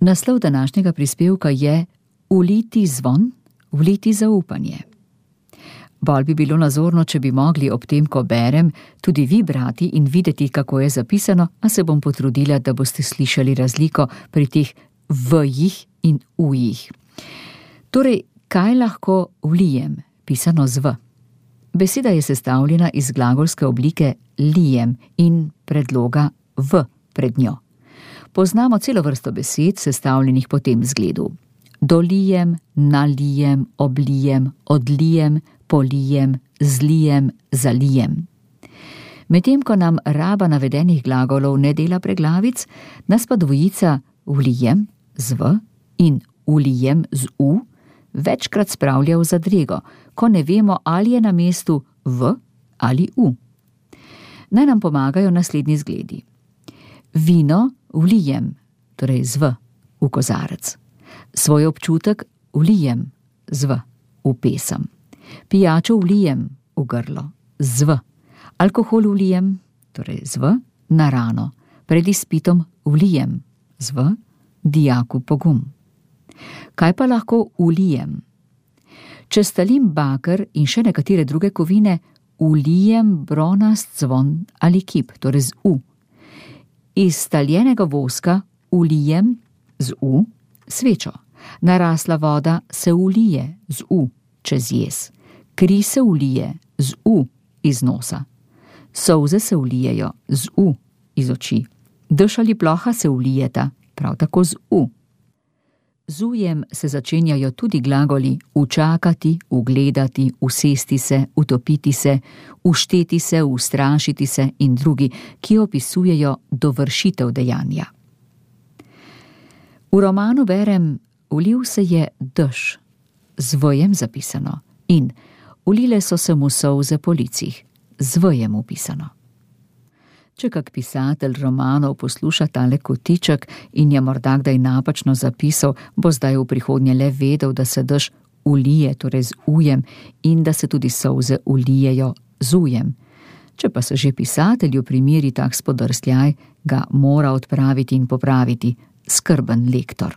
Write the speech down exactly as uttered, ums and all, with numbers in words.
Naslov današnjega prispevka je Uliti zvon, vliti zaupanje. Bolj bi bilo nazorno, če bi mogli ob tem, ko berem, tudi vi brati in videti, kako je zapisano, a se bom potrudila, da boste slišali razliko pri teh v-jih in u-jih. Torej, kaj lahko vlijem, pisano z v? Beseda je sestavljena iz glagolske oblike lijem in predloga v pred njo. Poznamo celo vrsto besed, sestavljenih po tem zgledu. Dolijem, nalijem, oblijem, odlijem, polijem, zlijem, zalijem. Medtem ko nam raba navedenih glagolov ne dela preglavic, nas pa dvojica vlijem z v in ulijem z u večkrat spravlja v zadrego, ko ne vemo, ali je na mestu v ali u. Naj nam pomagajo naslednji zgledi. Vino vlijem, torej z v, v kozarec. Svoj občutek vlijem z v, v pesem. Pijačo vlijem v grlo, z v. Alkohol vlijem, torej z v, na rano. Pred izpitom vlijem, z v, dijaku pogum. Kaj pa lahko vlijem? Če stalim baker in še nekatere druge kovine, vlijem bronast zvon ali kip, torej z u. Iz staljenega voska vlijem z u svečo. Narasla voda se vlije z u čez jez. Kri se vlije z u iz nosa. Solze se vlijejo z u iz oči. Dež ali ploha se vlijeta prav tako z u. Z ujem se začenjajo tudi glagoli učakati, ugledati, usesti se, utopiti se, ušteti se, ustrašiti se in drugi, ki opisujejo dovršitev dejanja. V romanu berem, ulil se je dež, z v-jem zapisano, in ulile so se mu solze po licih, z v-jem upisano. Če kak pisatelj romanov posluša tale kotiček in je morda kdaj napačno zapisal, bo zdaj v prihodnje le vedel, da se dež ulije, torej z ujem, in da se tudi solze ulijejo z ujem. Če pa se že pisatelju primeri tak spodrsljaj, ga mora odpraviti in popraviti skrben lektor.